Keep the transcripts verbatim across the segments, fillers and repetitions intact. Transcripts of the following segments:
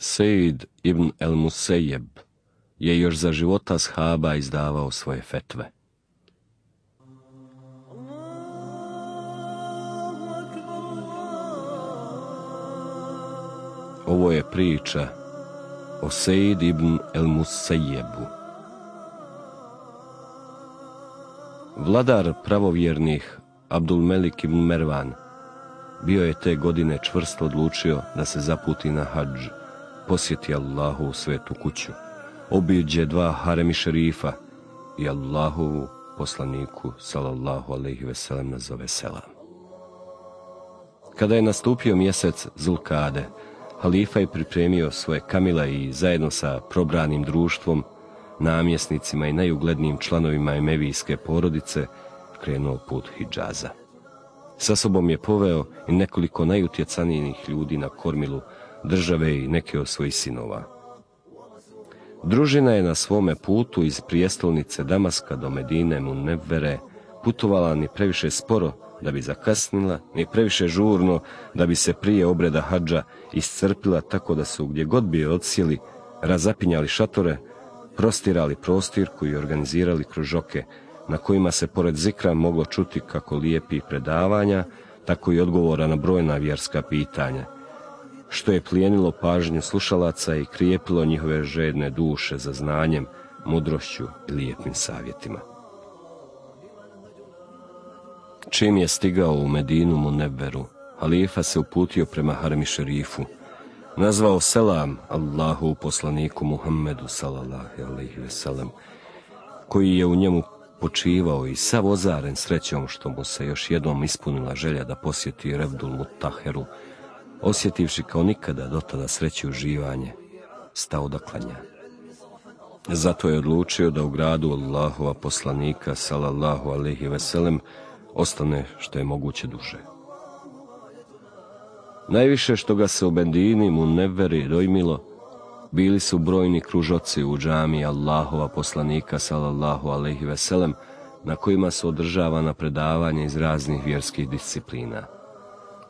Sejd ibn el-Musejeb je još za života ashaba izdavao svoje fetve. Ovo je priča o Sejd ibn el-Musejebu. Vladar pravovjernih Abdul Melik ibn Mervan bio je te godine čvrsto odlučio da se zaputi na hadž, posjeti Allahu u svetu kuću, obiđe dva haremi šerifa i Allahovu poslaniku sallallahu alejhi ve sellem nazove selam. Kada je nastupio mjesec Zulkade, halifa je pripremio svoje kamile i zajedno sa probranim društvom, namjesnicima i najuglednijim članovima emevijske porodice krenuo put Hidžaza. Sa sobom je poveo i nekoliko najutjecanijih ljudi na kormilu države i neke od svojih sinova. Družina je na svome putu iz prijestolnice Damaska do Medine Munevvere putovala ni previše sporo da bi zakasnila, ni previše žurno da bi se prije obreda hadža iscrpila, tako da su gdje god bi je odsjeli, razapinjali šatore, prostirali prostirku i organizirali kružoke na kojima se pored zikra moglo čuti kako lijepih predavanja, tako i odgovora na brojna vjerska pitanja, što je plijenilo pažnju slušalaca i krijepilo njihove žedne duše za znanjem, mudrošću i lijepim savjetima. Čim je stigao u Medinu Munevveru, halifa se uputio prema haremi šerifu, nazvao selam Allahu poslaniku Muhammedu sallallahu alejhi ve sellem, koji je u njemu počivao i sav ozaren srećom što mu se još jednom ispunila želja da posjeti Revdul Mutaheru, osjetivši kao nikada dotada sreću uživanje, stao da klanja. Zato je odlučio da u gradu Allahova poslanika sallallahu alejhi ve sellem ostane što je moguće duže. Najviše što ga se u Medini Munevveri dojmilo bili su brojni kružoci u džamiji Allahova poslanika sallallahu alejhi ve sellem, na kojima su održavana predavanja iz raznih vjerskih disciplina.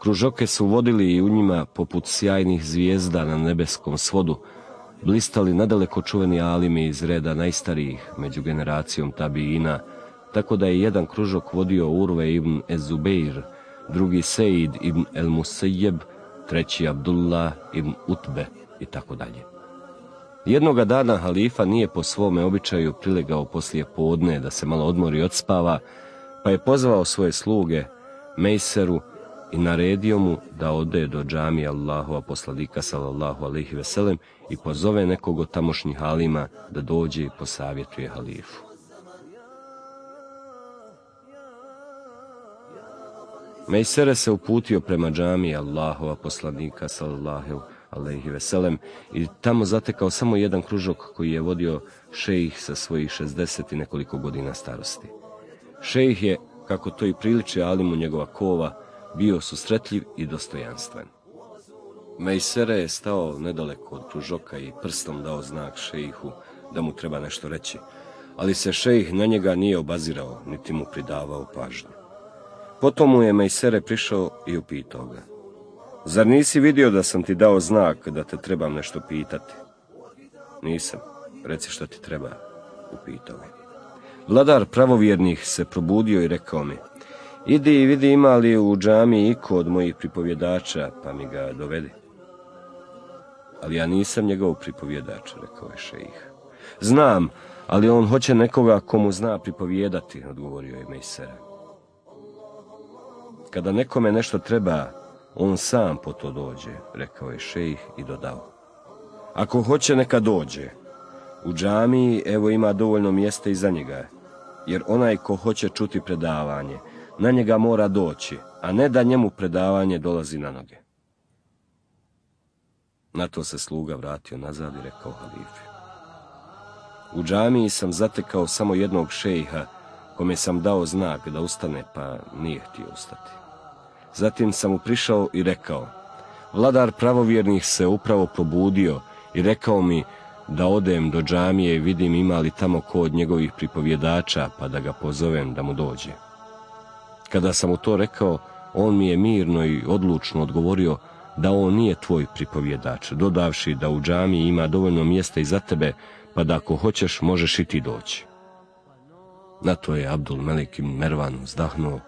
Kružoke su vodili i u njima, poput sjajnih zvijezda na nebeskom svodu, blistali nadaleko čuveni alimi iz reda najstarijih među generacijom tabiina, tako da je jedan kružok vodio Urve ibn Ez-Zubeir, drugi Sejd ibn el-Musejeb, treći Abdullah ibn Utbe i tako dalje. Jednoga dana halifa nije po svome običaju prilegao poslije podne da se malo odmori i odspava, pa je pozvao svoje sluge, Mejseru, i naredio mu da ode do džamije Allahova poslanika sallallahu alejhi ve sellem i pozove nekog od tamošnjih alima da dođe i posavjetuje halifu. Mejsere se uputio prema džamiji Allahova poslanika sallallahu alejhi ve sellem i tamo zatekao samo jedan kružok koji je vodio šejih sa svojih šezdeset i nekoliko godina starosti. Šejih je, kako to i priliči alimu njegova kova, bio susretljiv i dostojanstven. Mejsere je stao nedaleko od kružoka i prstom dao znak šejihu da mu treba nešto reći, ali se šejih na njega nije obazirao, niti mu pridavao pažnju. Potom mu je Mejsere prišao i upitao ga: "Zar nisi vidio da sam ti dao znak da te trebam nešto pitati?" "Nisam, reci što ti treba," upitao je. Vladar pravovjernih se probudio i rekao mi: "Idi i vidi ima li u džamiji iko od mojih pripovjedača, pa mi ga dovedi." "Ali ja nisam njegov pripovjedač," rekao je šejih. "Znam, ali on hoće nekoga komu zna pripovjedati," odgovorio je Mejsere. "Kada nekome nešto treba, on sam po to dođe," rekao je šejih i dodao: "Ako hoće, neka dođe. U džamiji evo ima dovoljno mjesta i za njega, jer onaj ko hoće čuti predavanje, na njega mora doći, a ne da njemu predavanje dolazi na noge." Na to se sluga vratio nazad i rekao halifi: "U džamiji sam zatekao samo jednog šejha, kome sam dao znak da ustane, pa nije htio ustati. Zatim sam mu prišao i rekao: Vladar pravovjernih se upravo probudio i rekao mi da odem do džamije i vidim ima li tamo ko od njegovih pripovjedača, pa da ga pozovem da mu dođe. Kada sam mu to rekao, on mi je mirno i odlučno odgovorio da on nije tvoj pripovjedač, dodavši da u džamiji ima dovoljno mjesta i za tebe, pa da ako hoćeš možeš i ti doći. Na to je Abdul Melik ibn Mervan vzdahnuo,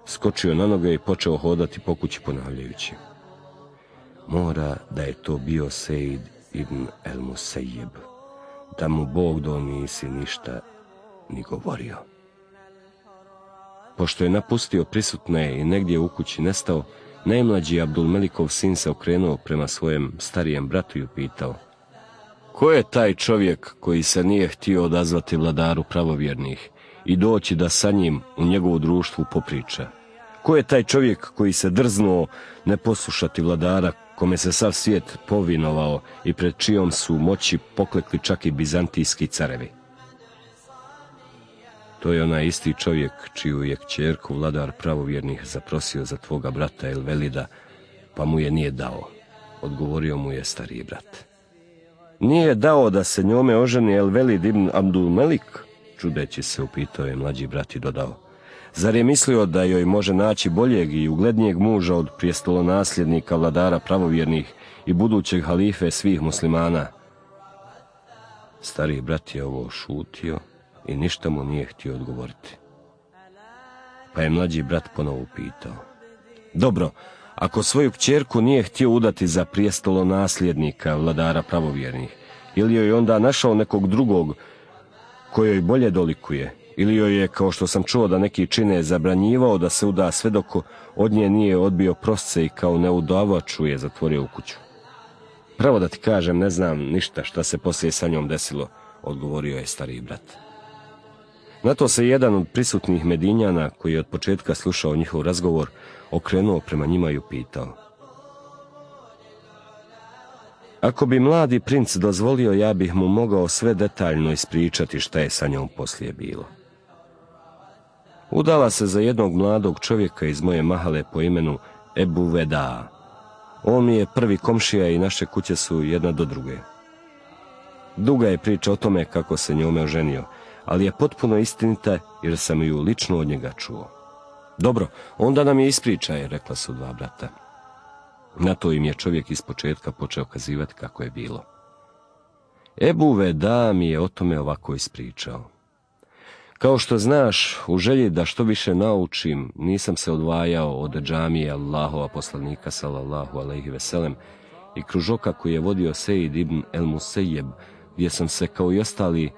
skočio na noge i počeo hodati po kući ponavljajući: mora da je to bio Sejd ibn el Musejib, da mu Bog do nisi ništa ni govorio. Pošto je napustio prisutne i negdje u kući nestao, najmlađi Abdul Melikov sin se okrenuo prema svojem starijem bratu i upitao: ko je taj čovjek koji se nije htio odazvati vladaru pravovjernih i doći da sa njim u njegovu društvu popriča? Ko je taj čovjek koji se drznuo ne poslušati vladara kome se sav svijet povinovao i pred čijom su moći poklekli čak i bizantijski carevi? To je onaj isti čovjek čiju je kćerku vladar pravovjernih zaprosio za tvoga brata El Velida, pa mu je nije dao, odgovorio mu je stariji brat. Nije dao da se njome oženi El Velid ibn Abdul Melik? Čudeći se upitao je mlađi brat i dodao: zar je mislio da joj može naći boljeg i uglednijeg muža od prijestolonasljednika vladara pravovjernih i budućeg halife svih muslimana? Stariji brat je ovo šutio i ništa mu nije htio odgovoriti. Pa je mlađi brat ponovo upitao: dobro, ako svoju kćerku nije htio udati za prijestolonasljednika vladara pravovjernih, ili joj onda našao nekog drugog kojoj bolje dolikuje, ili joj je, kao što sam čuo da neki čine, zabranjivao da se uda sve dok od nje nije odbio prosce i kao neudavaču je zatvorio u kuću? Pravo da ti kažem, ne znam ništa šta se poslije sa njom desilo, odgovorio je stariji brat. Na to se jedan od prisutnih Medinjana, koji je od početka slušao njihov razgovor, okrenuo prema njima i upitao: ako bi mladi princ dozvolio, ja bih mu mogao sve detaljno ispričati šta je sa njom poslije bilo. Udala se za jednog mladog čovjeka iz moje mahale po imenu Ebu Veda. On mi je prvi komšija i naše kuće su jedna do druge. Duga je priča o tome kako se njome oženio, ali je potpuno istinita jer sam ju lično od njega čuo. Dobro, onda nam je ispričaj, rekla su dva brata. Na to im je čovjek iz početka počeo kazivati kako je bilo. Ebu Veda mi je o tome ovako ispričao: kao što znaš, u želji da što više naučim, nisam se odvajao od džamije Allahova poslanika sallallahu alejhi ve sellem i kružoka koji je vodio Sejd ibn el Musejib, gdje sam se kao i ostali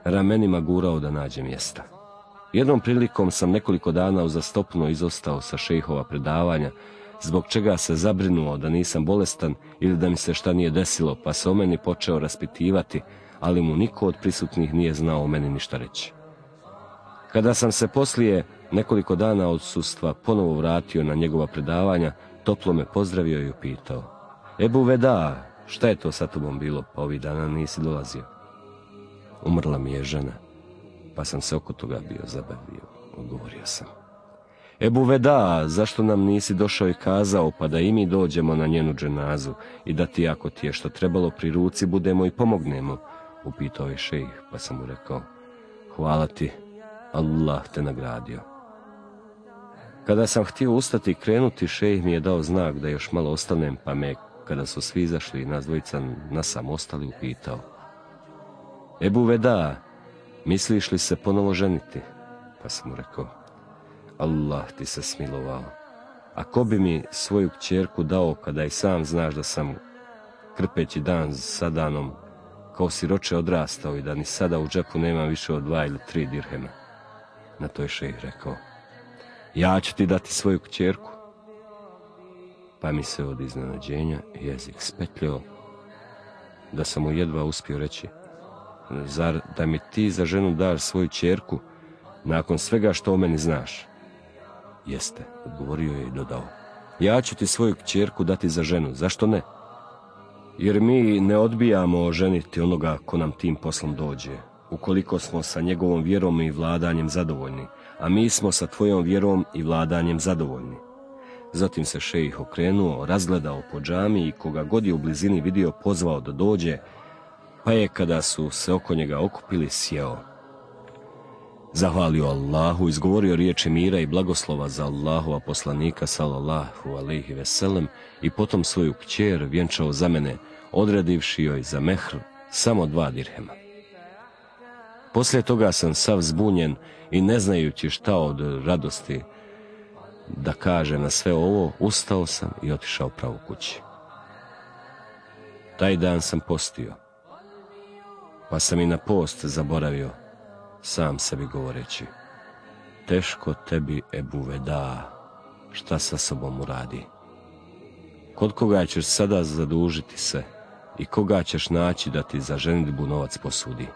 ramenima gurao da nađem mjesta. Jednom prilikom sam nekoliko dana uzastopno izostao sa šejhova predavanja, zbog čega se zabrinuo da nisam bolestan ili da mi se šta nije desilo, pa se o meni počeo raspitivati, ali mu niko od prisutnih nije znao o meni ništa reći. Kada sam se poslije nekoliko dana odsustva ponovo vratio na njegova predavanja, toplo me pozdravio i upitao: Ebu Veda, šta je to sa tobom bilo, pa ovih dana nisi dolazio? Umrla mi je žena, pa sam se oko toga bio zabavio, odgovorio sam. Ebu Veda, zašto nam nisi došao i kazao, pa da i mi dođemo na njenu dženazu i da ti, ako ti je što trebalo pri ruci, budemo i pomognemo, upitao je šejh, pa sam mu rekao: hvala ti, Allah te nagradio. Kada sam htio ustati i krenuti, šejh mi je dao znak da još malo ostanem, pa me, kada su svi izašli, nas dvojica nasam ostali, upitao: Ebu Veda, misliš li se ponovo ženiti? Pa sam mu rekao: Allah ti se smilovao. A ko bi mi svoju kćerku dao kada i sam znaš da sam, krpeći dan sa danom, kao siroče odrastao i da ni sada u džepu nemam više od dva ili tri dirhema? Na to je šejh rekao: ja ću ti dati svoju kćerku. Pa mi se od iznenađenja jezik spetljao, da sam mu jedva uspio reći: zar da mi ti za ženu daš svoju kćerku nakon svega što o meni znaš? Jeste, odgovorio je i dodao: ja ću ti svoju kćerku dati za ženu, zašto ne? Jer mi ne odbijamo ženiti onoga ko nam tim poslom dođe, ukoliko smo sa njegovom vjerom i vladanjem zadovoljni, a mi smo sa tvojom vjerom i vladanjem zadovoljni. Zatim se šejih okrenuo, razgledao po džamiji i koga god je u blizini vidio pozvao da dođe, pa je, kada su se oko njega okupili, sjeo. zahvalio Allahu, izgovorio riječi mira i blagoslova za Allahova poslanika sallallahu alejhi ve sellem i potom svoju kćer vjenčao za mene, odredivši joj za mehr samo dva dirhema. Poslije toga sam sav zbunjen i ne znajući šta od radosti da kaže na sve ovo, ustao sam i otišao pravo kući. Taj dan sam postio, pa sam i na post zaboravio, sam sebi govoreći: teško tebi, Ebu Veda, šta sa sobom uradi. Kod koga ćeš sada zadužiti se i koga ćeš naći da ti za ženidbu novac posudi?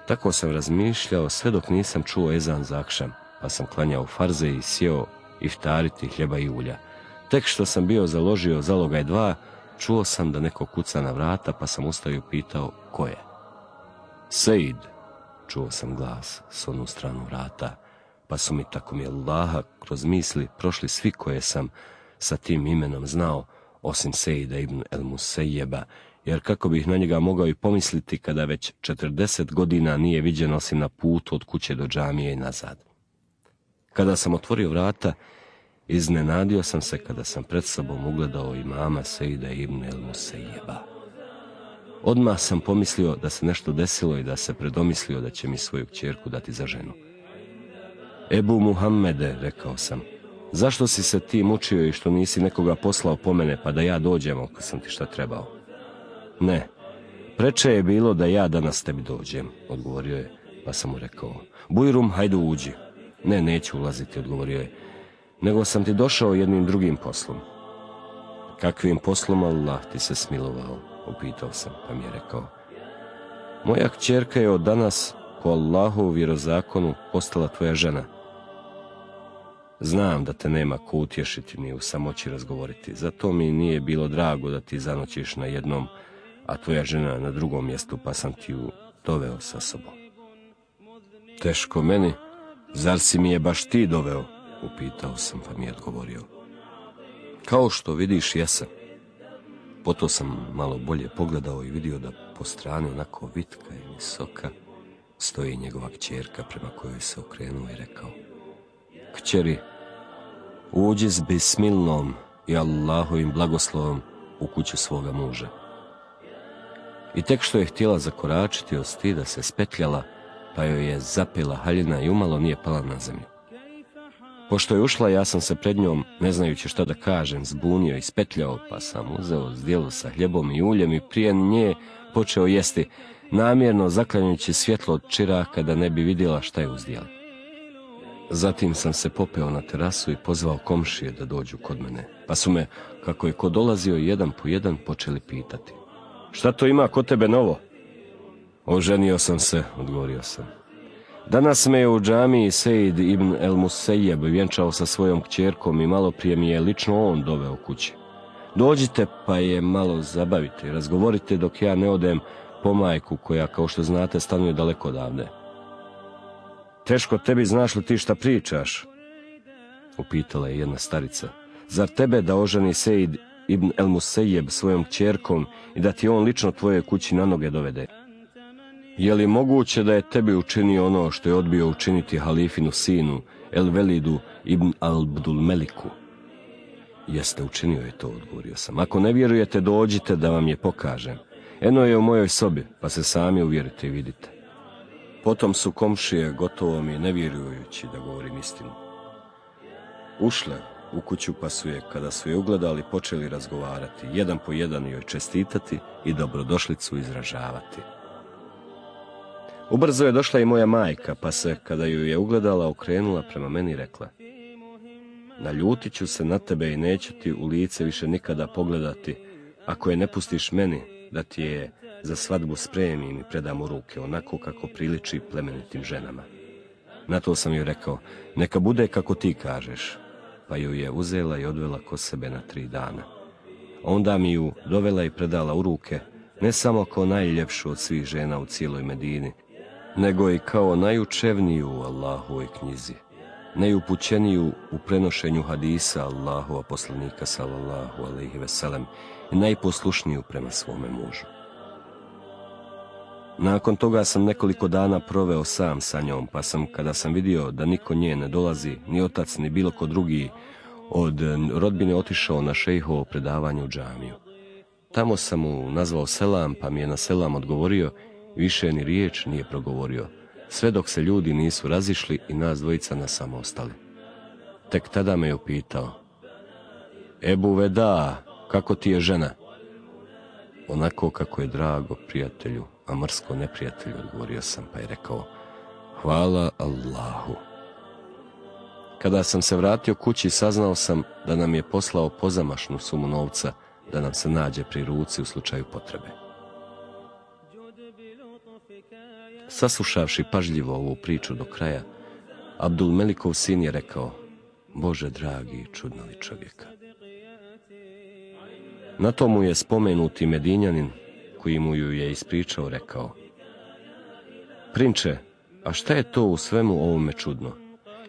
Tako sam razmišljao sve dok nisam čuo ezan za akšam, pa sam klanjao farze i sjeo iftariti hljeba i ulja. Tek što sam bio založio zalogaj dva, čuo sam da neko kuca na vrata, pa sam ustao i pitao ko je. Sejd, čuo sam glas s onu stranu vrata, pa su mi, tako mi Allaha, kroz misli prošli svi koje sam sa tim imenom znao, osim Sejda ibn el Musejjeba, jer kako bih na njega mogao i pomisliti kada već četrdeset godina nije viđen osim na putu od kuće do džamije i nazad. Kada sam otvorio vrata, iznenadio sam se kada sam pred sobom ugledao imama Sejda ibn el Musejjeba. Odmah sam pomislio da se nešto desilo i da se predomislio da će mi svoju kćerku dati za ženu. Ebu Muhammede, rekao sam, zašto si se ti mučio i što nisi nekoga poslao po mene pa da ja dođem ako sam ti šta trebao? Ne, preče je bilo da ja danas tebi dođem, odgovorio je, pa sam mu rekao: Bujrum, hajde uđi. Ne, neću ulaziti, odgovorio je, nego sam ti došao jednim drugim poslom. Kakvim poslom Allah ti se smilovao, upitao sam, pa mi je rekao: moja kćerka je od danas po Allahovu vjerozakonu postala tvoja žena. Znam da te nema ko utješiti ni u samoći razgovoriti, zato mi nije bilo drago da ti zanoćiš na jednom, a tvoja žena na drugom mjestu, pa sam ti ju doveo sa sobom. Teško meni, zar si mi je baš ti doveo, upitao sam, pa mi je odgovorio: kao što vidiš, jesam. Potom sam malo bolje pogledao i vidio da po strani onako vitka i visoka stoji njegova kćerka, prema kojoj se okrenuo i rekao: kćeri, uđi s bismilnom i Allahovim blagoslovom u kuću svoga muža. I tek što je htjela zakoračiti od stida se spetljala, pa joj je zapela haljina i umalo nije pala na zemlju. Pošto je ušla, ja sam se pred njom, ne znajući šta da kažem, zbunio i spetljao, pa sam uzeo zdjelu sa hljebom i uljem i prije nje počeo jesti, namjerno zaklanjajući svjetlo od čiraka da ne bi vidjela šta je u zdjeli. Zatim sam se popeo na terasu i pozvao komšije da dođu kod mene, pa su me, kako je ko dolazio jedan po jedan, počeli pitati: šta to ima kod tebe novo? Oženio sam se, odgovorio sam. Danas me je u džamiji Sejd ibn el Musejjeb vjenčao sa svojom kćerkom i malo prije mi je lično on doveo kući. Dođite pa je malo zabavite, razgovorite dok ja ne odem po majku koja, kao što znate, stanuje daleko odavde. Teško tebi, znaš li ti šta pričaš? Upitala je jedna starica. Zar tebe da oženi Sejd ibn el Musejjeb svojom kćerkom i da ti on lično tvoje kući na noge dovede? Je li moguće da je tebi učinio ono što je odbio učiniti halifinu sinu, El Velidu ibn Abdul Meliku? Jeste, učinio je to, odgovorio sam. Ako ne vjerujete, dođite da vam je pokažem. Eno je u mojoj sobi, pa se sami uvjerite i vidite. Potom su komšije, gotovo mi ne vjerujući da govorim istinu, ušle u kuću, pa su je, kada su je ugledali, počeli razgovarati, jedan po jedan joj čestitati i dobrodošlicu izražavati. Ubrzo je došla i moja majka, pa se, kada ju je ugledala, okrenula prema meni i rekla: naljutit ću se na tebe i neću ti u lice više nikada pogledati, ako je ne pustiš meni da ti je za svadbu spremim i predam u ruke, onako kako priliči plemenitim ženama. Na to sam joj rekao: neka bude kako ti kažeš, pa ju je uzela i odvela kod sebe na tri dana. Onda mi ju dovela i predala u ruke, ne samo kao najljepšu od svih žena u cijeloj Medini, nego i kao najučevniju u Allahovoj knjizi, najupućeniju u prenošenju hadisa Allahova poslanika sallallahu alejhi ve sellem i najposlušniju prema svome mužu. Nakon toga sam nekoliko dana proveo sam sa njom, pa sam, kada sam vidio da niko nje ne dolazi, ni otac, ni bilo ko drugi, od rodbine otišao na šejhovo predavanje u džamiju. Tamo sam mu nazvao selam, pa mi je na selam odgovorio, više ni riječ nije progovorio, sve dok se ljudi nisu razišli i nas dvojica na samo ostali. Tek tada me je upitao: Ebu Veda, kako ti je žena? Onako kako je drago prijatelju, a mrsko neprijatelju, odgovorio sam, pa je rekao: hvala Allahu. Kada sam se vratio kući, saznao sam da nam je poslao pozamašnu sumu novca da nam se nađe pri ruci u slučaju potrebe. Saslušavši pažljivo ovu priču do kraja, Abdul Melikov sin je rekao: Bože dragi, čudno li čovjeka. Na to mu je spomenuti Medinjanin, koji mu ju je ispričao, rekao: Prinče, a šta je to u svemu ovome čudno?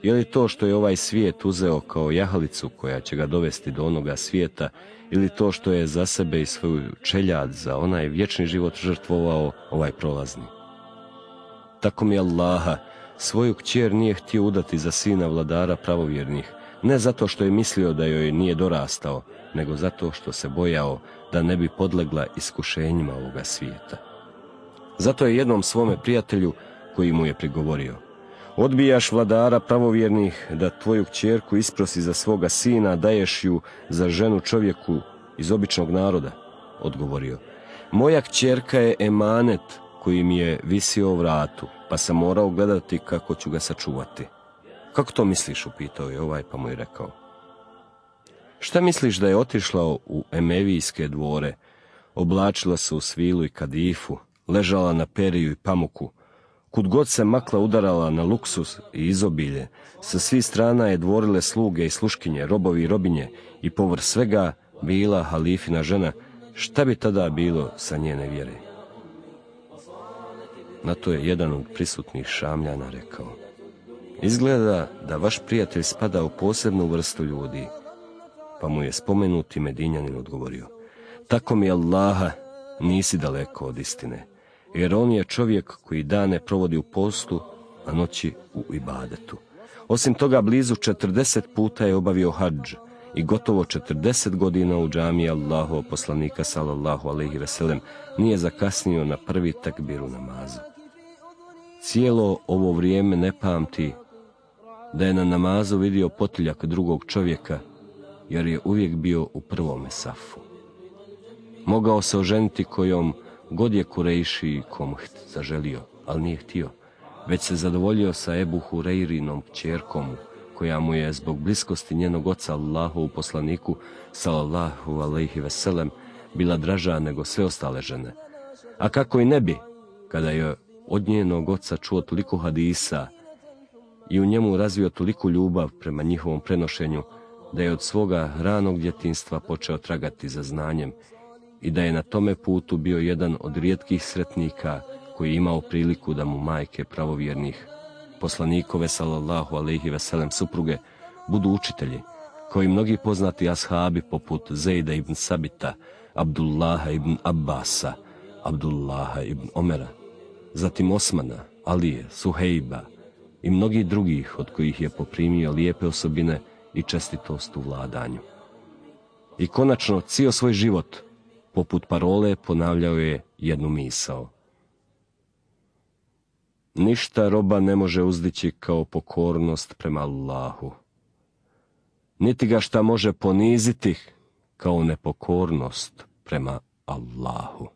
Je li to što je ovaj svijet uzeo kao jahalicu koja će ga dovesti do onoga svijeta, ili to što je za sebe i svoju čeljad za onaj vječni život žrtvovao ovaj prolazni? Tako mi Allaha, svoju kćer nije htio udati za sina vladara pravovjernih, ne zato što je mislio da joj nije dorastao, nego zato što se bojao da ne bi podlegla iskušenjima ovoga svijeta. Zato je jednom svome prijatelju, koji mu je prigovorio: odbijaš vladara pravovjernih da tvoju kćerku isprosi za svoga sina, daješ ju za ženu čovjeku iz običnog naroda, odgovorio: moja kćerka je emanet koji mi je visio u vratu, pa sam morao gledati kako ću ga sačuvati. Kako to misliš, upitao je ovaj, pa mu je rekao: šta misliš da je otišla u emevijske dvore, oblačila se u svilu i kadifu, ležala na periju i pamuku, kud god se makla udarala na luksus i izobilje, sa svih strana je dvorile sluge i sluškinje, robovi i robinje, i povrh svega bila halifina žena, šta bi tada bilo sa njene vjere? Na to je jedan od prisutnih Šamljana rekao: izgleda da vaš prijatelj spada u posebnu vrstu ljudi. Pa mu je spomenuti Medinjanin odgovorio: tako mi Allaha, nisi daleko od istine, jer on je čovjek koji dane provodi u postu, a noći u ibadetu. Osim toga, blizu četrdeset puta je obavio hadž i gotovo četrdeset godina u džamiji Allahovog poslanika sallallahu alejhi ve sellem nije zakasnio na prvi takbir u namazu. Cijelo ovo vrijeme ne pamti da je na namazu vidio potiljak drugog čovjeka, jer je uvijek bio u prvome safu. Mogao se oženiti kojom god je Kurejši i kom zaželio, ali nije htio, već se zadovoljio sa Ebu Hurejrinom kćerkom, koja mu je zbog bliskosti njenog oca Allahovu poslaniku sallallahu alejhi ve sellem bila draža nego sve ostale žene. A kako i ne bi, kada je od njenog oca čuo toliko hadisa i u njemu razvio toliku ljubav prema njihovom prenošenju, da je od svoga ranog djetinjstva počeo tragati za znanjem i da je na tome putu bio jedan od rijetkih sretnika koji je imao priliku da mu majke pravovjernih, poslanikove sallallahu alejhi ve sellem supruge, budu učitelji, kao i mnogi poznati ashabi poput Zejda ibn Sabita, Abdullaha ibn Abbasa, Abdullaha ibn Omera, zatim Osmana, Alije, Suhejba i mnogih drugih od kojih je poprimio lijepe osobine i čestitost u vladanju. I konačno, cijel svoj život, poput parole, ponavljao je jednu misao: ništa roba ne može uzdići kao pokornost prema Allahu, niti ga šta može poniziti kao nepokornost prema Allahu.